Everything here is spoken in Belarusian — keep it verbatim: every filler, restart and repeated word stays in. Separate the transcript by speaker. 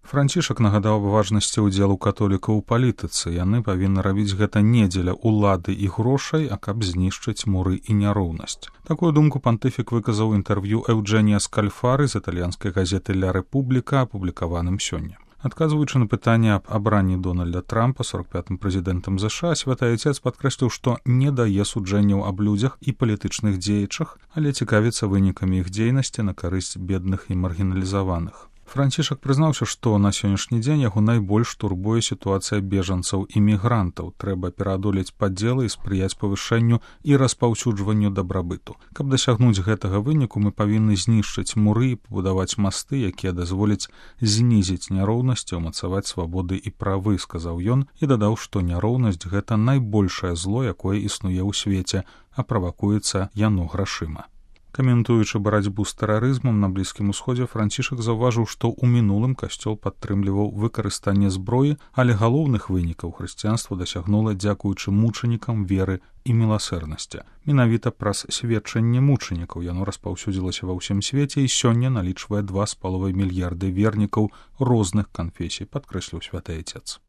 Speaker 1: Францішак нагадаў аб важнасці ўдзелу католікаў у палітыцы. Яны павінны рабіць гэта не дзеля ўлады і грошай, а каб знішчыць муры і няроўнасць. Такую думку пантыфік выказаў інтэрв'ю Эўджэнія Скальфары з італьянскай газеты «Ля Рэпубліка», апублікаваным сёння. Адказваючы на пытанне аб абранні Дональда Трампа сорок пятым прэзідэнтам ЗША, святы айцец падкрэсліў, што не дае суджэнняў аб людзях і палітычных дзеячах, але цікавіцца вынікамі іх дзейнасці на карысць бедных і маргіналізаваных. Францішак прызнаўся, што на сённяшні дзень яго найбольш турбуе сітуацыя бежанцаў і мігрантаў. Трэба пераадолець падзелы і спрыяць павышэнню і распаўсюджванню дабрабыту. Каб дасягнуць гэтага выніку, мы павінны знішчыць муры і пабудаваць масты, якія дазволяць знізіць няроўнасці, умацаваць свабоды і правы, сказаў ён, і дадаў, што няроўнасць — гэта найбольшае зло, якое існуе ў свеце, а правакуецца яно грашыма. Каментуючы барацьбу з тэрарызмам на Блізкім Усходзе, Францішак заўважыў, што ў мінулым касцёл падтрымліваў выкарыстанне зброі, але галоўных вынікаў хрысціянства дасягнула дзякуючы мучанікам веры і міласэрнасці. Менавіта праз сведчанне мучанікаў яно распаўсюдзілася ва ўсім свеце і сёння налічвае два з паловай мільярды вернікаў розных канфесій, падкрэсліў святы айцец.